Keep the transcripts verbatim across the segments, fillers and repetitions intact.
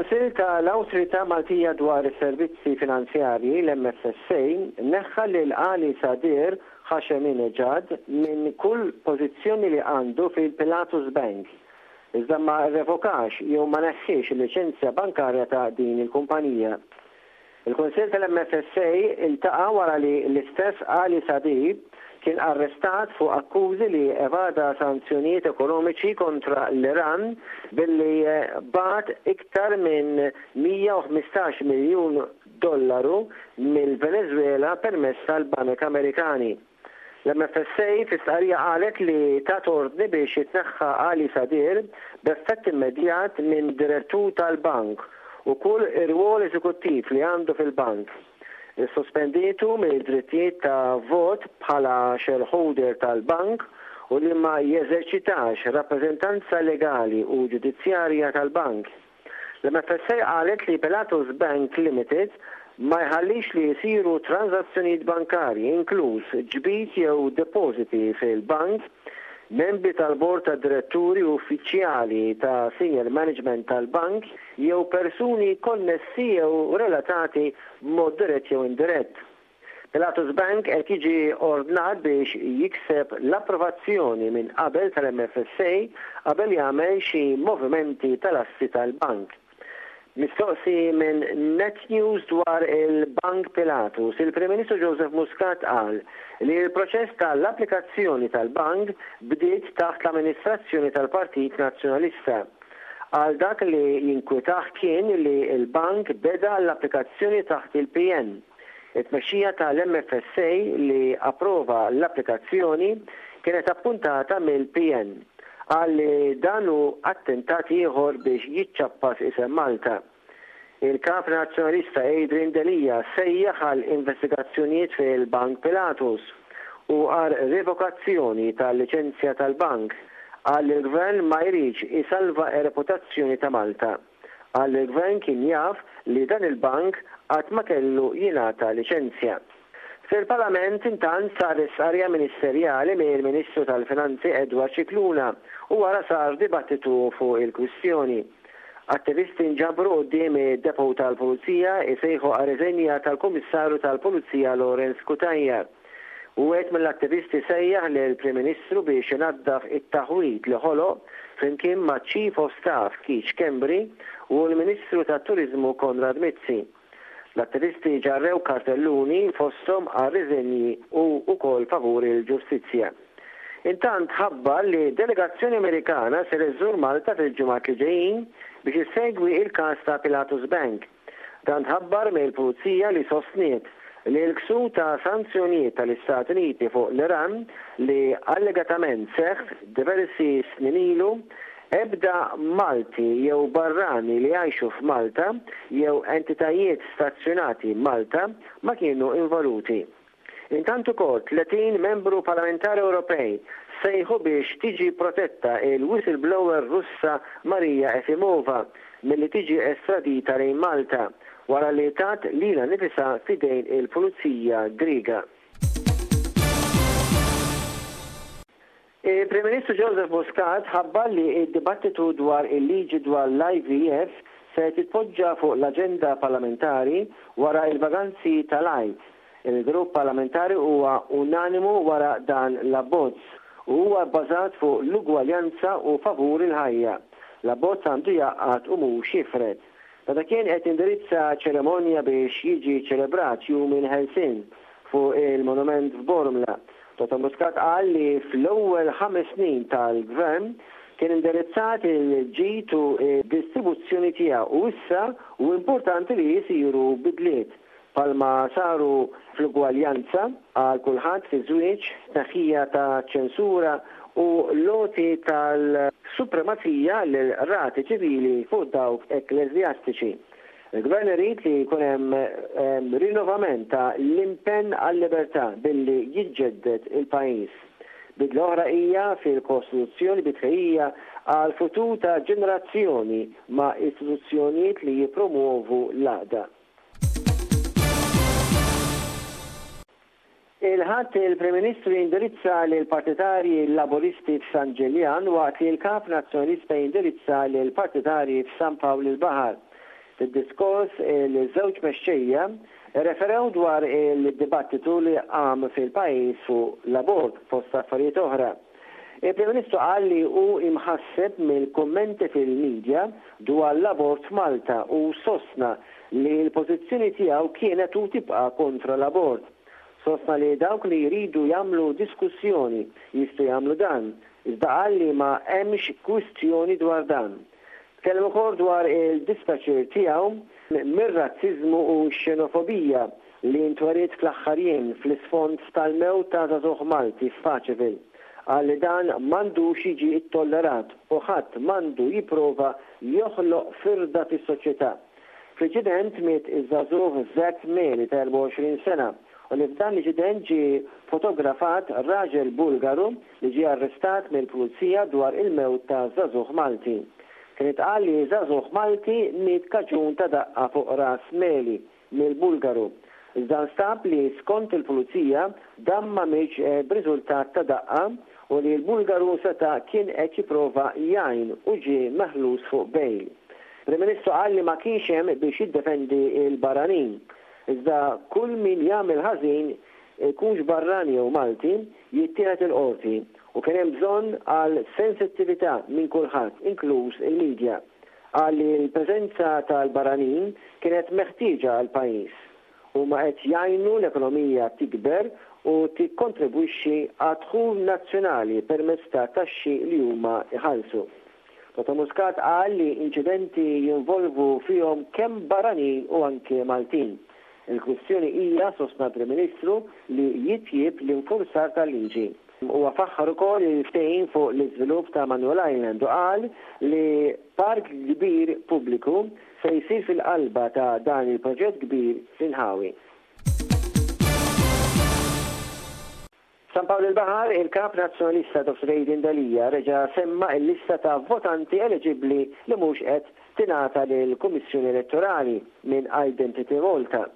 Il-Kunsill tal-Awtorità Maltija dwar is-Servizzi Finanzjarji, l-M F S A, neħħa lil Ali Sadir Hasheminejad minn kull pożizzjoni li għandu fil-Pilatus Bank. Iżda ma revokax jew ma neħħiex il-liċenzja bankarja ta' din il-kumpanija. Il-Kunsill tal-M F S A iltaqa' wara li l-istess Ali Sadir kien arrestat fuq akkużi li evada sanzjonijiet ekonomiċi kontra l-Iran billi bagħat iktar minn mija u ħmistax miljun dollaru mill-Venezuela permezz tal-Banek Amerikani. L-M F S A fi stqarrija qalet li tat ordni biex jitneħħa Ali Sadir b'effett immedjat minn direttur tal-bank u kull irwol eżekuttiv li għandu fil-bank. Sospendietu mill-drittijiet ta' vot bħala shareholder tal-bank u li ma jeżerċitax rappreżentanza legali u ġudizzjarja tal-bank. L-M F S A qalet li Pilatus Bank Limited ma jħallix li jisiru transazzjonijiet bankarji, inkluż ġbid jew depositi fil-bank, membri tal-bord ta' diretturi, uffiċjali ta' senior management tal-bank jew persuni konnessi jew relatati b'mod dirett jew indirett. Pilatus Bank qed jiġi ordnat biex jikseb l-approvazzjoni minn qabel tal-M F S A qabel jagħmel xi movimenti tal-assi tal-bank. Mistoqsi minn Net News dwar il-Bank Pilatus, il-Prim Ministru Joseph Muscat qal li l-proċess tal-applikazzjoni tal-bank bdiet taħt l-amministrazzjoni tal-Partit Nazzjonalista. Għal dak li jinkwitah kien li l-bank beda l-applikazzjoni taħt il-P N. It-tmexxija tal-M F S A li approva l-applikazzjoni kienet appuntata mill-P N. Qal li dan hu attentat ieħor biex jiċċappas isem Malta. Il-kap nazzjonalista Adrian Delia sejjaħ għal investigazzjonijiet fil-Bank Pilatus u għal revokazzjoni tal-liċenzja tal-bank. Qal li l-gvern ma jridx isalva reputazzjoni ta' Malta. Qal li l-gvern kien jaf li dan il-bank qatt ma kellu jingħata liċenzja. Fil-Parlament intant sar istqarrija ministerjali mill-Ministru tal-Finanzi Edward Scicluna u wara sar dibattitu fuq il-kwistjoni. Attivisti nġabru quddiem id-depot tal-Pulizija isejħu għar-riżenja tal-Kummissarju tal-Pulizija Lawrence Cutajar. Wieħed mill-attivisti sejjaħ lill-Prim Ministru biex inaddaf it-taħwit li ħoloq flimkien ma' Chief of Staff Keith Schembri u l-Ministru tat-Turizmu Konrad Mizzi. L-attivisti ġarrew kartelluni fosthom għar-riżenji u wkoll favur il-ġustizzja. Intant ħabbar li delegazzjoni Amerikana ser iżżur Malta fil-ġimgħat li ġejjin biex issegwi il-każ ta' Pilatus Bank. Dan tħabbar mill-Pulizija, li sostniet li l-ksur ta' sanzjonijiet tal-Istati Uniti fuq l-Iran li allegatament seħħ diversi snin ilu, ebda Malti jew barrani li jgħixu f'Malta jew entitajiet stazzjonati Malta ma kienu involuti. Intant ukoll tletin membru parlamentari Ewropej sejħu biex tiġi protetta il-whistleblower Russa Maria Efimova milli tiġi estradita lejn Malta wara li tat lilha nnifisha f'idejn il-Pulizija Griega. Il-Prim Ministru Joseph Muscat ħabbar li id-dibattitu dwar il-liġi dwar l-I V F se titpoġġa fuq l-aġenda parlamentari wara il-vaganzi tal-Għid. Il-grupp parlamentari huwa unanimu wara dan l-abbozz u huwa bbażat fuq l-ugwaljanza u favur il-ħajja. L-abbozz għandu jgħaqqad u mhux jifred. Meta kien qed indirizza ċeremonja biex jiġi ċelebrat Jum il-Ħelsien fuq il-monument f'Bormla, Dottor Muscat qal li fl-ewwel ħames snin tal-gvern kien indirizzat il-ġid u distribuzzjoni tiegħu u issa hu importanti li jisiru bidliet bħalma saru fl-ugwaljanza għal kulħadd fi żwieġ, tneħħija ta' ċensura u l-għoti tal-supremazija l-rati ċivili fuq dawk ekkleżjastiċi. Il-gvern irid li jkun hemm rinnovament ta' l-impenn għal-libertà billi jiġġedded il-pajjiż. Bidla oħra hija fil-Kostituzzjoni bi tħejjija għal futur ta' ġenerazzjoni ma' istituzzjonijiet li jipromuovu l-għaqda. Il-Ħadd il-Prim Ministru jindirizza lil partitarji Laburisti f'San Ġiljan waqt li l-Kap Nazzjonalista jindirizza lil partitarji f'San Pawl il-Baħar. Fid-diskors il-żewġ mexxejja referew dwar il-dibattitu li qam fil-pajjiż fuq l-abort fost affarijiet oħra. Il-Prim Ministru qal li hu imħasseb mill-kummenti fil-medja dwar l-abort f'Malta u sostna li l-pożizzjoni tiegħu kienet u tibqa' kontra l-abort. Sostna li dawk li jridu jagħmlu diskussjoni jistgħu jagħmlu dan, iżda qal li ma hemmx kwistjoni dwar dan. Tkellem ukoll dwar il-dispjaċir tiegħu mir-razziżmu u x-xenofobija li ntweriet fl-aħħar jiem fl-isfond tal-mewt ta' żagħżugħ Malti f'Paceville. Qal li dan m'għandux jiġi ittollerat u ħadd m'għandu jipprova joħloq firda fis-soċjetà. Fl-inċident miet iż-żagħżugħ Zack Meli ta' erbgħa u għoxrin sena u li f'dan l-inċident ġie fotografat raġel Bulgaru li ġie arrestat mill-pulizija dwar il-mewt ta' żagħżugħ Malti. Kien itqal li żagħżugħ Malti miet kaġun ta' daqqa fuq ras Meli mill-Bulgaru. Iżda nstab li skont il-pulizija dan ma mietx b'riżultat ta' daqqa u li l-Bulgaru seta' kien qed jipprova jgħin u ġie meħlus fuq bail. Prim Ministru qal li ma kienx hemm biex jiddefendi l-barranin. Iżda kull min jagħmel ħażin, ikunx barrani jew Malti, jittieħed il-qorti u kien hemm bżonn għal sensittività minn kulħadd, inkluż il-medja. Qal li l-preżenza tal-barranin kienet meħtieġa għall-pajjiż. Huma qed jgħinu l-ekonomija tikber u tikkontribwixxi għad-dħul nazzjonali permezz ta' taxxi li huma jħallsu. Dottor Muscat qal li inċidenti jinvolvu fihom kemm barranin u anke Maltin. Il-kwistjoni hija, sostna l-Prim Ministru, li jitjieb l-infurzar tal-liġi. Huwa faħħar ukoll il-ftehim fuq l-iżvilupp ta' Manuel Island u qal li park kbir pubbliku se jsir fil-qalba ta' dan il-proġett kbir fl-inħawi. San Pawl il-Baħar, il-Kap Nazzjonalista Dottor Adrian Delia reġa' semma l-lista ta' votanti eliġibbli li mhux qed tingħata lill-Kummissjoni Elettorali minn Identity Malta.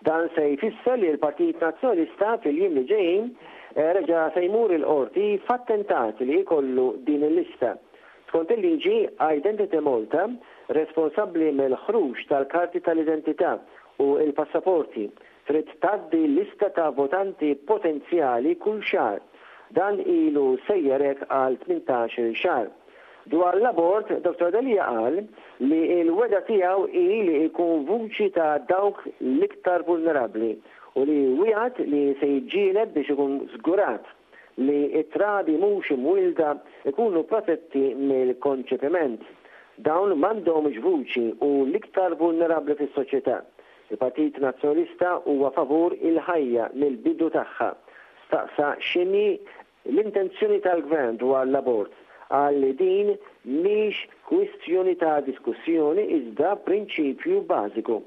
Dan se jfisser li l-Partit Nazzjonalista fil-jiem li ġejjin reġa' se jmur il-qorti f'attentat li jkollu din il-lista. Skont il-liġi, Identity Malta, responsabbli mill-ħruġ tal-karti tal-identità u l-passaporti, trid tgħaddi lista ta' votanti potenzjali kull xahar. Dan ilu sejjer hekk għal tmintax-il xahar. Dwar l-abort, Dottor Delia qal li l-wegħda tiegħu hi li jkun vuċi ta' dawk l-iktar vulnerabbli u li wiegħed li se jiġġieled biex ikun żgurat li t-trabi mhux imwielda ikunu protetti mill-konċepiment. Dawn m'għandhomx vuċi u l-iktar vulnerabbli fis-soċjetà. Il-Partit Nazzjonalista huwa favur il-ħajja mill-bidu tagħha. Staqsa x'inhi l-intenzjoni tal-Gvern dwar l-abort. Qal li din mhix kwistjoni ta' diskussjoni iżda prinċipju bażiku.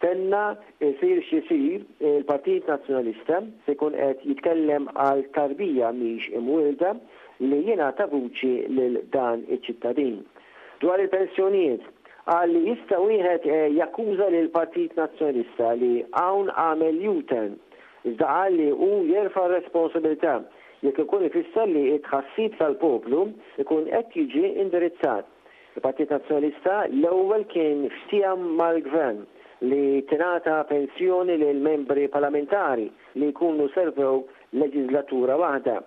Tenna isir x'isir, il-Partit Nazzjonalista se jkun qed jitkellem għal tarbija mhix imwielda li jingħata vuċi lil dan iċ-ċittadin. Dwar il-pensjonijiet, qal li jista' wieħed jakkuża lil Partit Nazzjonalista li hawn għamel U-turn, iżda qal li hu jerfa' r-responsabilità jekk ikun ifisser li t-tħassib tal-poplu ikun qed jiġi indirizzat. Il-Partit Nazzjonalista l-ewwel kien ftehim mal-Gvern li tingħata pensjoni lil membri parlamentari li jkunu servew leġislatura waħda.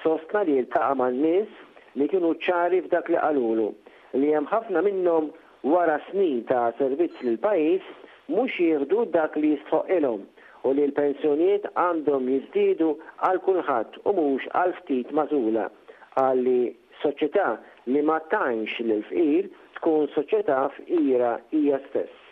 Sostna li ltaqa' man-nies li kienu ċari f'dak li qalulu, li hemm ħafna minnhom wara snin ta' servizz lil pajjiż mhux jieħdu dak li jistħoqilhom u li l-pensjonijiet għandhom jiżdiedu għal kulħadd u mhux għal ftit magħżula. Qal li soċjetà li ma tgħinx lil fqir tkun soċjetà fqira hija stess.